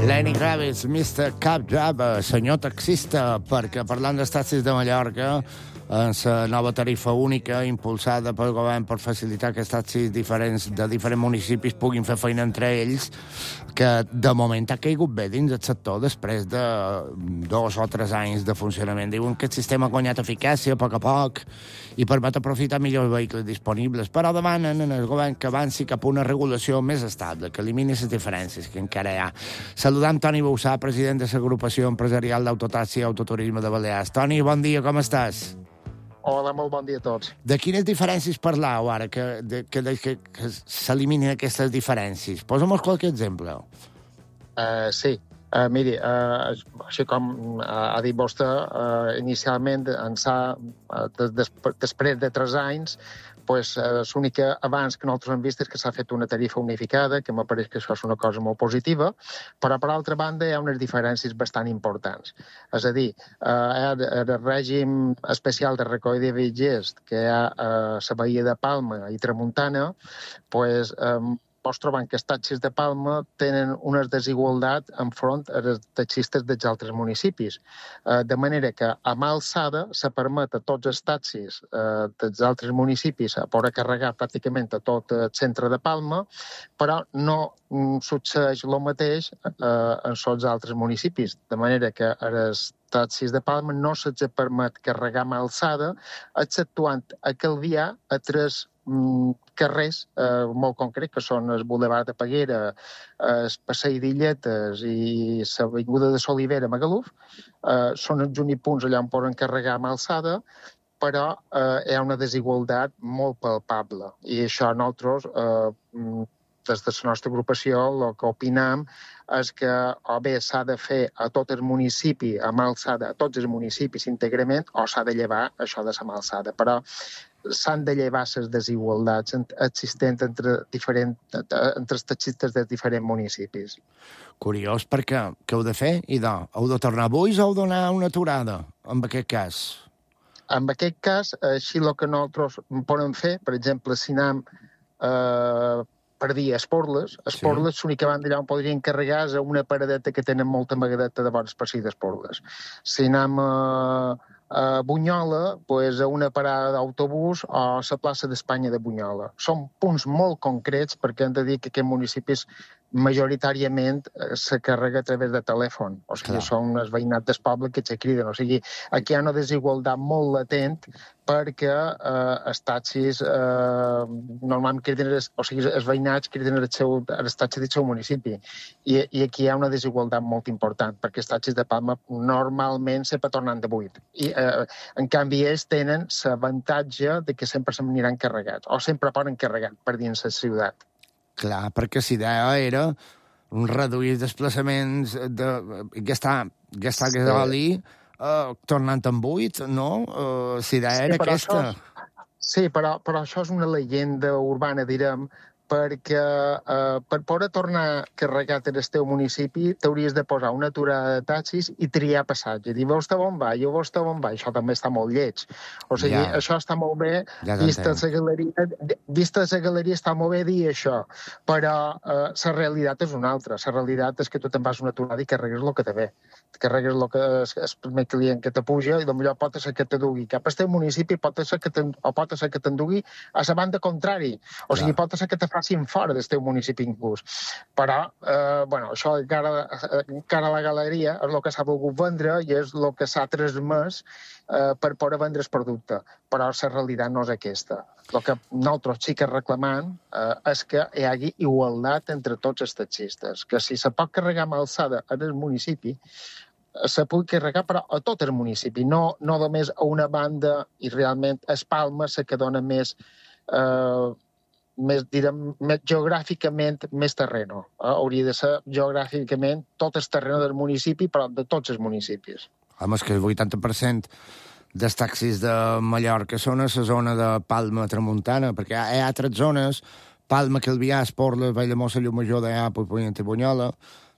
Lenny Kravitz, Mr. Cab Driver, senyor taxista, perquè parlant dels taxis de Mallorca, en la nova tarifa única impulsada pel govern per facilitar que els taxis diferents de diferents municipis puguin fer feina entre ells, que de moment ha caigut bé dins el sector després de 2 o 3 anys de funcionament. Diuen que el sistema ha guanyat eficàcia a poc i permet aprofitar millor els vehicles disponibles, però demanen al govern que avanci cap a una regulació més estable, que elimini les diferències que encara hi ha. Saludam Toni Boussà, president de l'Agrupació Empresarial d'Autotaxi i Autoturisme de Balears. Toni, bon dia, com estàs? Hola, molt bon dia a tots. De quines diferències parlau ara, que s'eliminin aquestes diferències? Posa'm qualque exemple. Sí. Miri, així com ha dit vostè, inicialment, després de 3 anys, l'únic abans que nosaltres hem vist és que s'ha fet una tarifa unificada, que m'apareix que això és una cosa molt positiva, però, per altra banda, hi ha unes diferències bastant importants. És a dir, el règim especial de recollida de viatgers que hi ha a la Badia de Palma i Tramuntana, mos trobem que els taxis de Palma tenen una desigualtat enfront als taxistes dels altres municipis. De manera que a mà alçada se permet a tots els taxis dels altres municipis a poder carregar pràcticament a tot el centre de Palma, però no succeeix el mateix en els altres municipis. De manera que els taxis de Palma no se'ls permet carregar a mà alçada, exceptuant a Calvià a 3 carrers molt concrets, que són el Boulevard de Peguera, el Passeig d'Illetes i l'Avinguda de Solivera a Magaluf. Són els únics punts allà on poden carregar amb alçada, però hi ha una desigualtat molt palpable. I això nosaltres, des de la nostra agrupació, el que opinem és que o bé s'ha de fer a tot el municipi amb alçada, a tots els municipis íntegrament, o s'ha de llevar això de la mà alçada. Però s'han de llevar les desigualtats existents entre els taxistes de diferents municipis. Curiós, perquè què heu de fer? Heu de tornar avui o heu de donar una aturada, en aquest cas? En aquest cas, així el que nosaltres podem fer, per exemple, si anem per dir Esporles, l'única banda allà on podrien carregar és una paradeta que tenen molta magadeta de bones per si d'Esporles. Si anem Bunyola, a una parada d'autobús o a la plaça d'Espanya de Bunyola. Són punts molt concrets perquè hem de dir que aquests municipis majoritàriament se carrega a través de telèfon. O sigui, són els veïnats del poble que se criden. O sigui, aquí hi ha una desigualtat molt latent perquè els taxis normalment criden, o sigui, els veïnats criden els taxis del seu municipi. I aquí hi ha una desigualtat molt important, perquè els taxis de Palma normalment sempre tornen de buit. I, en canvi, ells tenen l'avantatge de que sempre se n'aniran carregats, o sempre poden carregar per dins la ciutat. Clar, perquè la idea era reduir desplaçaments de gastar gasoli tornant en buit, no? La idea era aquesta. Sí, però això és una llegenda urbana, direm, perquè per poder tornar carregat en el teu municipi t'hauries de posar una aturada de taxis i triar passatge. Dir, veus on va? Jo veus on va? Això també està molt lleig. O sigui, això està molt bé, vista la galeria està molt bé dir això, però la realitat és una altra. La realitat és que tu te'n vas una aturada i carregues el que te ve. Carregues el que és el primer client que te puja i potser pot ser que te dugui cap al teu municipi, pot ser que t'endugui a la banda contrari. O sigui, pot ser que te facin fora del teu municipi inclús. Però, això encara a la galeria és el que s'ha volgut vendre i és el que s'ha transmès per poder vendre el producte. Però la realitat no és aquesta. El que nosaltres sí que reclamem és que hi hagi igualtat entre tots els taxistes, que si se pot carregar amb alçada en el municipi, se pugui carregar però a tot el municipi, no només a una banda, i realment és Palma la que dona més geogràficament més terreno. Hauria de ser geogràficament tot el terreno del municipi, però de tots els municipis. Home, és que el 80% dels taxis de Mallorca són a la zona de Palma Tramuntana, perquè hi ha altres zones, Palma, Calvià, Esporles, Valldemossa, Llumajor, Deià, Puigpunyent i Bunyola.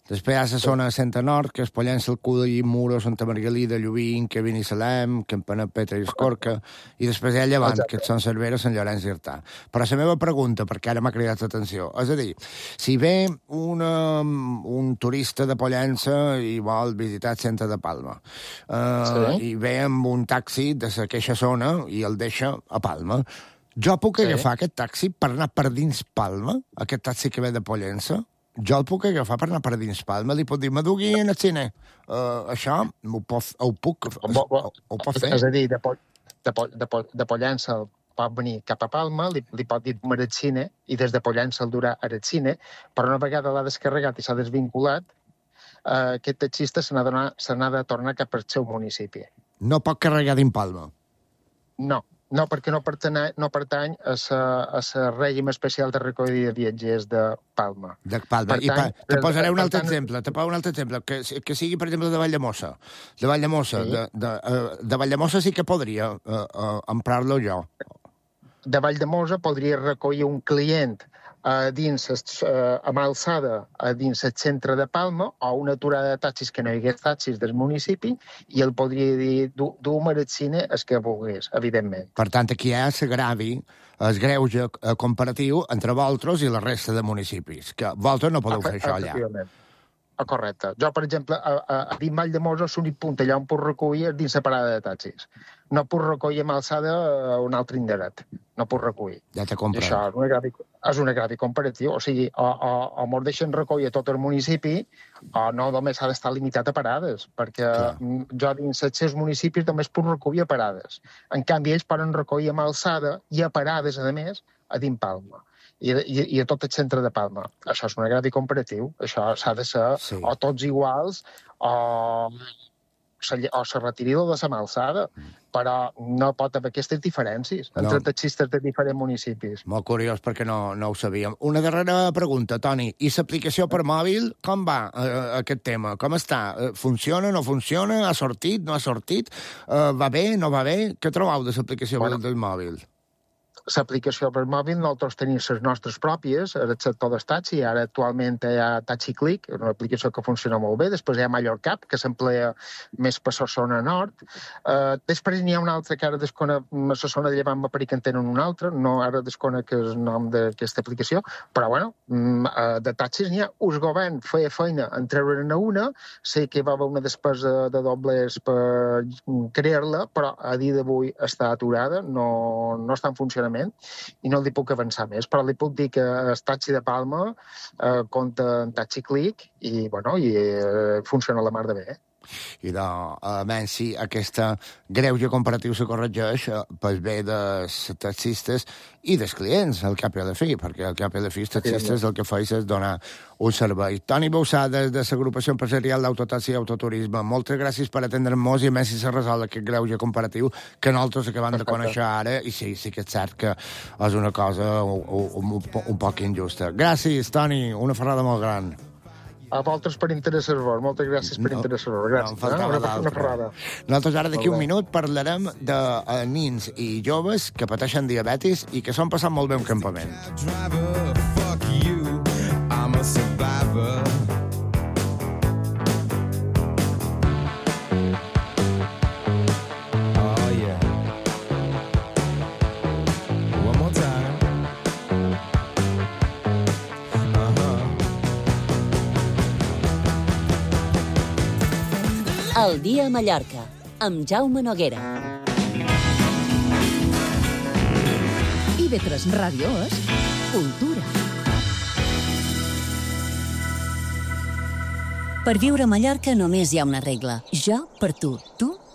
Després hi ha la zona de Centre Nord, que és Pollença, el Cudell, Muro, Santa Margalida, Llubín, Que Binissalem, Campanet, Petra i Escorca, i després hi ha Llevant, que són Cervera, Sant Llorenç i Artà. Però la meva pregunta, perquè ara m'ha cridat l'atenció, és a dir, si ve un turista de Pollença i vol visitar el centre de Palma, i ve amb un taxi de aquesta zona i el deixa a Palma, jo puc agafar aquest taxi per anar per dins Palma, aquest taxi que ve de Pollença? Jo el puc agafar per anar per dins Palma, li pot dir, m'adugui en el cine. Això ho puc fer. És a dir, de Pollença pot venir cap a Palma, li pot dir al cine, i des de Pollença el durà al cine, però una vegada l'ha descarregat i s'ha desvinculat, aquest taxista se n'ha de tornar cap al seu municipi. No pot carregar dins Palma? No, perquè no pertany a règim especial de recollida de viatgers de Palma. De Palma. Te posaré un altre exemple. Que sigui, per exemple, de Valldemossa. De Valldemossa sí que podria emprar-lo jo. De Valldemossa podria recollir un client amb alçada dins el centre de Palma o una aturada de taxis que no hi hagués taxis del municipi i el podria dir dur-me al cine el que volgués, evidentment. Per tant, aquí hi ha el greuge comparatiu entre vosaltres i la resta de municipis, que vosaltres no podeu fer això allà. Correcte. Jo, per exemple, a dins Valldemossa l'únic punt allà on puc recollir és dins la parada de taxis. No puc recollir amb alçada a un altre indret. No puc recollir. Ja t'he comprat. Això és un agravi comparatiu. O sigui, o mos deixen recollir tot el municipi o no només ha d'estar limitat a parades, perquè jo dins els seus municipis només puc recollir a parades. En canvi, ells poden recollir amb alçada i a parades, a més, a dins Palma. I a tot el centre de Palma. Això és un agravi comparatiu. Això s'ha de ser o tots iguals o se retiri de la alçada, però no pot haver aquestes diferències entre taxistes de diferents municipis. Molt curiós, perquè no ho sabíem. Una darrera pregunta, Toni. I l'aplicació per mòbil, com va aquest tema? Com està? Funciona, no funciona? Ha sortit, no ha sortit? Va bé, no va bé? Què trobeu de l'aplicació del mòbil? l'aplicació per mòbil, nosaltres tenim les nostres pròpies, el sector dels taxis, ara actualment hi ha Taxi Click, una aplicació que funciona molt bé, després hi ha Mallorcap, que s'emplea més per la zona nord, després n'hi ha una altra que ara desconec, la zona de Llevant m'apareix que en tenen una altra, no ara desconec el nom d'aquesta aplicació, però bueno, de taxis n'hi ha, el govern feia feina en treure-ne una, sé que va haver una despesa de doblers per crear-la, però a dia d'avui està aturada, no està en funcionament, i no li puc avançar més, però li puc dir que el taxi de Palma compta en Taxi Click i funciona la mar de bé. I almenys si aquesta greuge comparatiu se corregeix pel bé dels taxistes i dels clients, al cap i a la fi, perquè al cap i a la fi els taxistes el que feis és donar un servei. Toni Bausà, des de l'Agrupació Empresarial d'Autotaxi i Autoturisme, moltes gràcies per atendre'ns i a més si se resol aquest greuge comparatiu que nosaltres acabem de conèixer ara i sí que és cert que és una cosa un poc injusta. Gràcies, Toni, una ferrada molt gran. A vosaltres per interessar-vos. Moltes gràcies per interessar-vos. Gràcies. Una ferrada. Nosaltres ara d'aquí un minut parlarem de nins i joves que pateixen diabetis i que s'han passat molt bé un campament. El dia a Mallorca, amb Jaume Noguera. IB3 Ràdio és cultura. Per viure a Mallorca només hi ha una regla. Jo per tu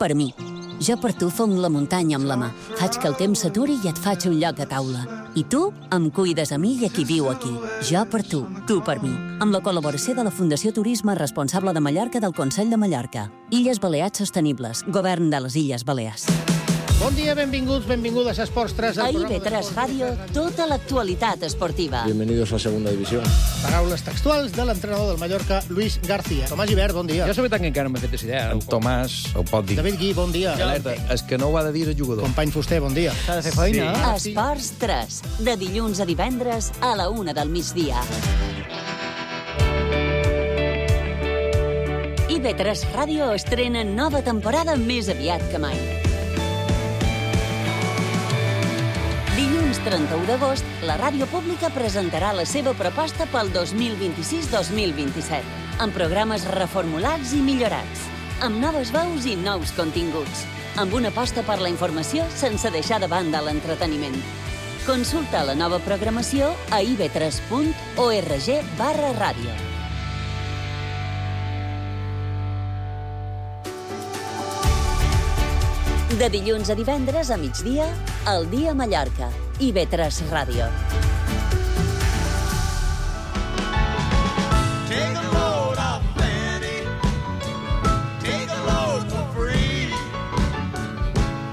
per mi. Jo per tu fong la muntanya amb la mà. Faig que el temps s'aturi i et faig un lloc a taula. I tu em cuides a mi i a qui viu aquí. Jo per tu per mi. Amb la col·laboració de la Fundació Turisme Responsable de Mallorca del Consell de Mallorca. Illes Balears Sostenibles. Govern de les Illes Balears. Bon dia, benvingudes a Esports 3. A IB3 Ràdio, tota l'actualitat esportiva. Bienvenidos a Segunda División. Paraules textuals de l'entrenador del Mallorca, Luis García. Tomàs Gibert, bon dia. Jo la veritat que encara no m'he fet idea. En Tomàs ho pot dir. David Gui, bon dia. Alerta, és que no ho ha de dir el jugador. Company Fuster, bon dia. S'ha de fer feina. Sí. Esports 3, de dilluns a divendres a la 1 del migdia. IB3 Ràdio estrena nova temporada més aviat que mai. Dilluns 31 d'agost, la ràdio pública presentarà la seva proposta pel 2026-2027, amb programes reformulats i millorats, amb noves veus i nous continguts, amb una aposta per la informació sense deixar de banda l'entreteniment. Consulta la nova programació a ib3.org/ràdio. De dilluns a divendres a migdia, El dia a Mallorca. IB3 Ràdio. Take a load off Fanny. Take a load for free.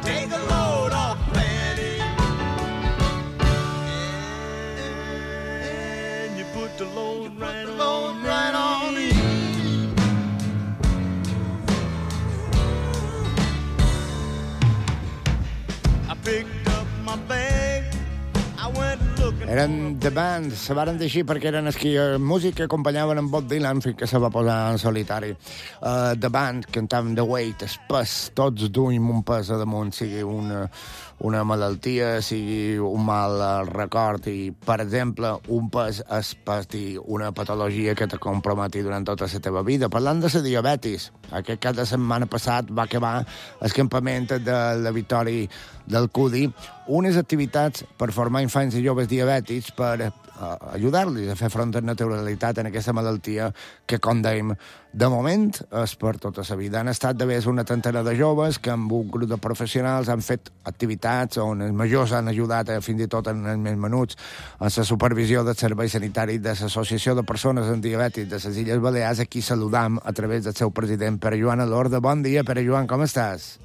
Take a load off Fanny. And you put the load right on me. Eren The Band, se varen dir així perquè eren els que músic que acompanyaven en Bob Dylan fins que se va posar en solitari. The Band cantaven The Weight, el pes, tots duim un pes a damunt, sigui una malaltia, sigui un mal record i, per exemple, un pes és patir una patologia que te comprometi durant tota la teva vida. Parlant de la diabetis, aquest cap de setmana passat va acabar el campament de la Victòria del CUDI, unes activitats per formar infants i joves diabètics per ajudar-los a fer front a naturalitat en aquesta malaltia que, com dèiem, de moment és per tota la vida. Han estat d'haver una trentena de joves que amb un grup de professionals han fet activitats on els majors han ajudat fins i tot en els més menuts en la supervisió del servei sanitari de l'Associació de Persones amb Diabetis de les Illes Balears, a qui saludam a través del seu president, Pere Joan Alorda. Bon dia, Pere Joan, com estàs?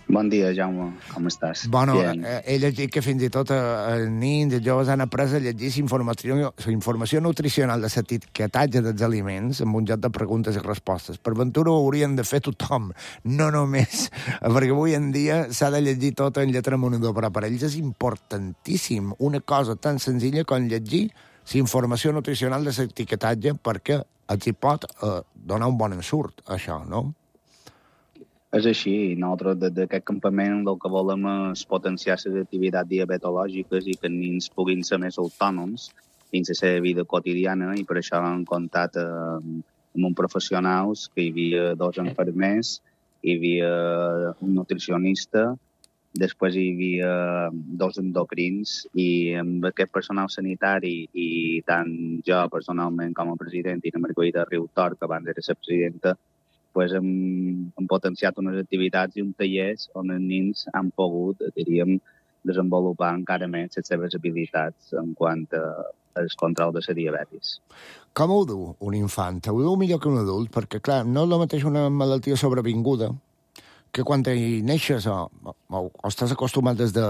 Bon dia, Jaume. Com estàs? Bueno, Bien. he llegit que fins i tot els nins i els joves han après a llegir la informació nutricional de l'etiquetatge dels aliments amb un joc de preguntes i respostes. Per ventura ho haurien de fer tothom, no només, perquè avui en dia s'ha de llegir tot en lletra monedor, però per ells és importantíssim una cosa tan senzilla com llegir la informació nutricional de l'etiquetatge perquè els hi pot donar un bon ensurt, això, no? És així. Nosaltres, des d'aquest campament, el que volem és potenciar les activitats diabetològiques i que els nens puguin ser més autònoms dins la seva vida quotidiana, i per això hem comptat amb uns professionals, que hi havia 2 infermers, hi havia un nutricionista, després hi havia 2 endocrins, i amb aquest personal sanitari, i tant jo personalment com a president i la Margarida Riutort, que abans era la presidenta, pues hem potenciat unes activitats i un tallers on els nens han pogut, diríem, desenvolupar encara més les seves habilitats en quant al control de la diabetis. Com ho du un infant? Ho du millor que un adult? Perquè, clar, no és el mateix una malaltia sobrevinguda que quan hi neixes o estàs acostumat des de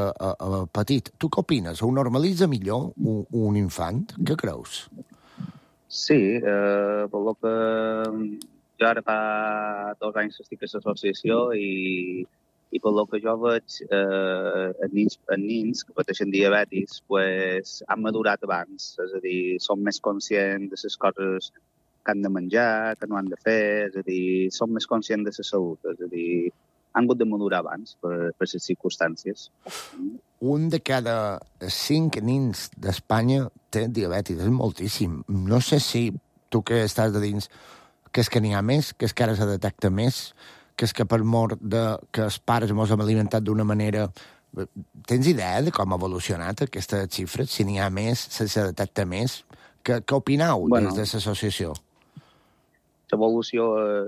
petit. Tu què opines? Ho normalitza millor un infant? Què creus? Sí, per lo que jo ara fa 2 anys que estic a l'associació i per lo que jo veig, els nens que pateixen diabetis pues, han madurat abans, és a dir, són més conscients de les coses que han de menjar, que no han de fer, és a dir, són més conscients de la salut, és a dir, han hagut de madurar abans per les circumstàncies. Un de cada 5 nens d'Espanya té diabetis, és moltíssim. No sé si tu que estàs de dins, que és que n'hi ha més, que és que ara se detecta més, que és que per mort de que els pares mos hem alimentat d'una manera... Tens idea de com ha evolucionat aquesta xifra? Si n'hi ha més, si se detecta més? Què opineu des de l'associació? L'evolució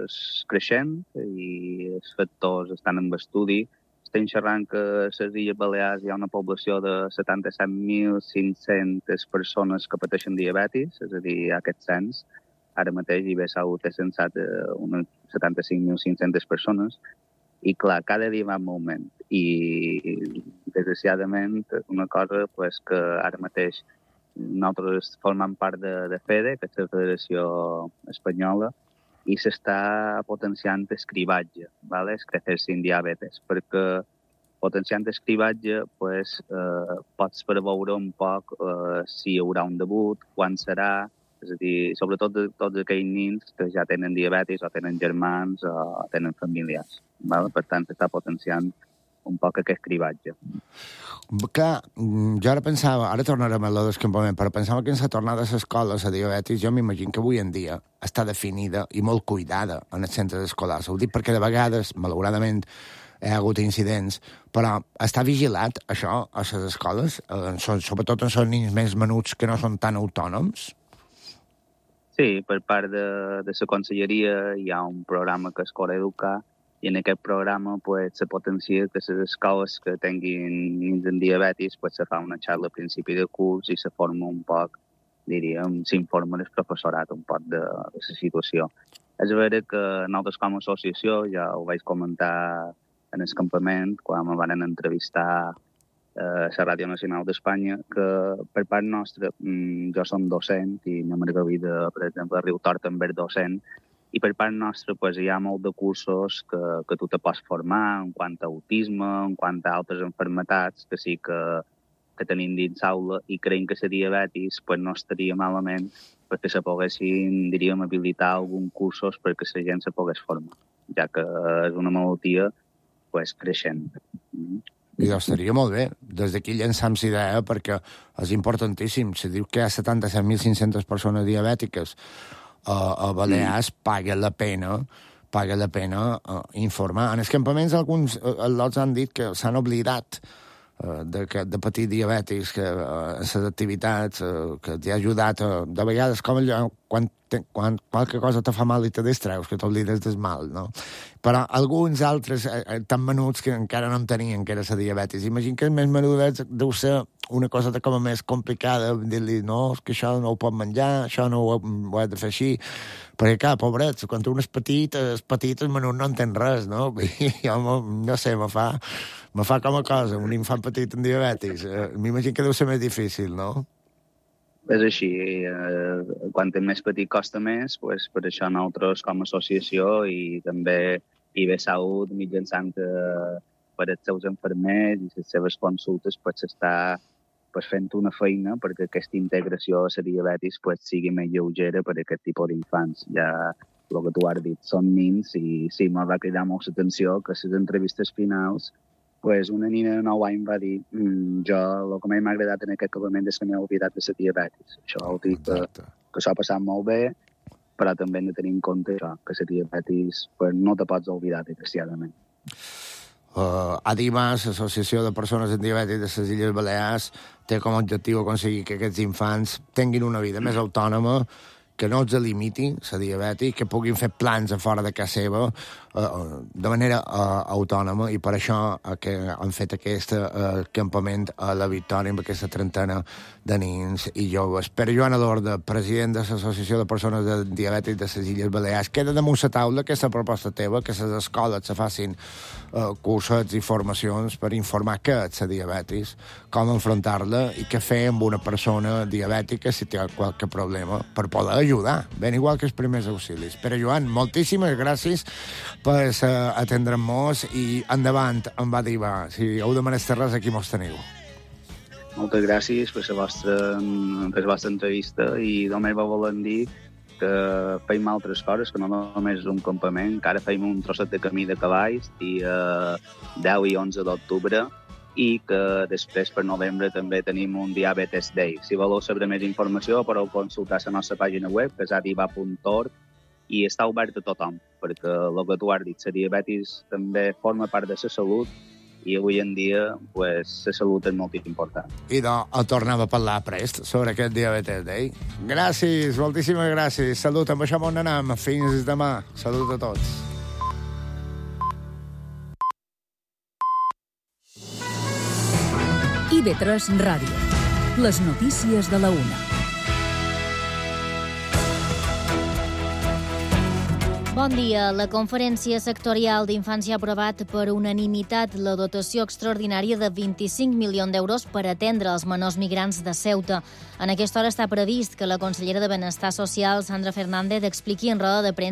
és creixent i els factors estan en estudi. Estem xerrant que a les Illes Balears hi ha una població de 77.500 persones que pateixen diabetis, és a dir, aquest cens. Ara mateix IBSAUT té censat unes 75.500 persones i, clar, cada dia va en augment. I, desgraciadament, una cosa pues, que ara mateix nosaltres formem part de FEDE, que és la Federació Espanyola, i s'està potenciant el cribatge, ¿vale? És crecer sin diabetes, perquè potenciant el cribatge pues, pots preveure un poc si hi haurà un debut, quan serà, és a dir, sobretot de tots aquells nens que ja tenen diabetis o tenen germans o tenen famílies. ¿Vale? Per tant, s'està potenciant un poc aquest cribatge. Clar, jo ara pensava, ara tornarem a lo d'escampament, però pensava que en la tornada a l'escola, la diabetis, jo m'imagino que avui en dia està definida i molt cuidada en els centres escolars. Ho dic perquè de vegades, malauradament, hi ha hagut incidents, però està vigilat, això, a les escoles, sobretot en els nens més menuts que no són tan autònoms? Sí, per part de la conselleria hi ha un programa que és Coreducar, i en aquest programa pues, se potencia que les escoles que tinguin nens amb diabetis pues, se fa una xarxa a principi de curs i se forma un poc, diríem, s'informa el professorat un poc de la situació. És vera que nosaltres com a associació, ja ho vaig comentar en el campament, quan me van entrevistar a la Ràdio Nacional d'Espanya, que per part nostra, jo som docent i la Margarida, per exemple, a Riutort també és docent, i per part nostra pues, hi ha molt de cursos que tu te pots formar en quant a autisme, en quant a altres enfermetats que sí que tenim dins l'aula, i creiem que la diabetis pues, no estaria malament perquè se poguessin, diríem, habilitar alguns cursos perquè la gent se pogués formar, ja que és una malaltia pues, creixent. I estaria molt bé. Des d'aquí llançam la idea perquè és importantíssim. Se diu que hi ha 77.500 persones diabètiques a Balears, paga la pena informar. En els campaments alguns lots han dit que s'han oblidat de patir diabètics, que les activitats que t'hi ha ajudat de vegades, com quan qualque cosa te fa mal i te distreus, que t'oblides del mal, no? Però alguns altres, tan menuts que encara no en tenien, que era la diabetis. Imagina que els més menuts deu ser una cosa com a més complicada, dir-li, no, és que això no ho pot menjar, això no ho he de fer així, perquè, clar, pobrets, quan un és petit, el menut no entén res, no? I jo, no sé, me fa com a cosa, un infant petit amb diabetis. M'imagino que deu ser més difícil, no? És així, quan és més petit costa més, pues, per això nosaltres com a associació i també IB Salut mitjançant per els seus infermers i les seves consultes pues, està pues, fent una feina perquè aquesta integració a la diabetis pues, sigui més lleugera per a aquest tipus d'infants. Ja el que tu has dit són nins i sí, m'ha va cridar molt l'atenció que a les entrevistes finals pues una nina de 9 anys va dir jo el que m'ha agradat en aquest acabament és que m'he oblidat de la diabetis. Això vol dir que s'ha passat molt bé, però també hem de tenir en compte això, que la diabetis pues, no te pots oblidar, desgraciadament. ADIMAS, l'Associació de Persones amb Diabetis de les Illes Balears, té com a objectiu aconseguir que aquests infants tinguin una vida més autònoma, que no els limiti la diabetis, que puguin fer plans a fora de casa seva de manera autònoma, i per això que han fet aquest campament a la Victòria amb aquesta trentena de nens i joves. Pere Joan Adorda, president de l'Associació de Persones de Diabetis de les Illes Balears, queda damunt la taula aquesta proposta teva, que les escoles se facin cursets i formacions per informar què és la diabetis, com enfrontar-la i què fer amb una persona diabètica si té qualque problema per poder ajudar, ben igual que els primers auxilis. Pere Joan, moltíssimes gràcies per atendre'm-nos i endavant amb ADIVA. Si heu de menester res, aquí mos teniu. Moltes gràcies per la vostra entrevista i només va voler dir que feim altres coses, que no només és un campament, que ara feim un trosset de camí de cavalls dia 10 i 11 d'octubre i que després per novembre també tenim un Diabetes Day. Si voleu saber més informació podeu consultar la nostra pàgina web, que és adiva.org, i està obert a tothom, perquè el que tu has dit, la diabetis també forma part de la salut i avui en dia pues, la salut és molt important. I doncs tornem a parlar prest sobre aquest Diabetes Day. Gràcies, moltíssimes gràcies. Salut, amb això on anem. Fins demà. Salut a tots. IB3 Ràdio. Les notícies de la 1. Bon dia. La Conferència Sectorial d'Infància ha aprovat per unanimitat la dotació extraordinària de 25 milions d'euros per atendre els menors migrants de Ceuta. En aquesta hora està previst que la consellera de Benestar Social, Sandra Fernández, expliqui en roda de premsa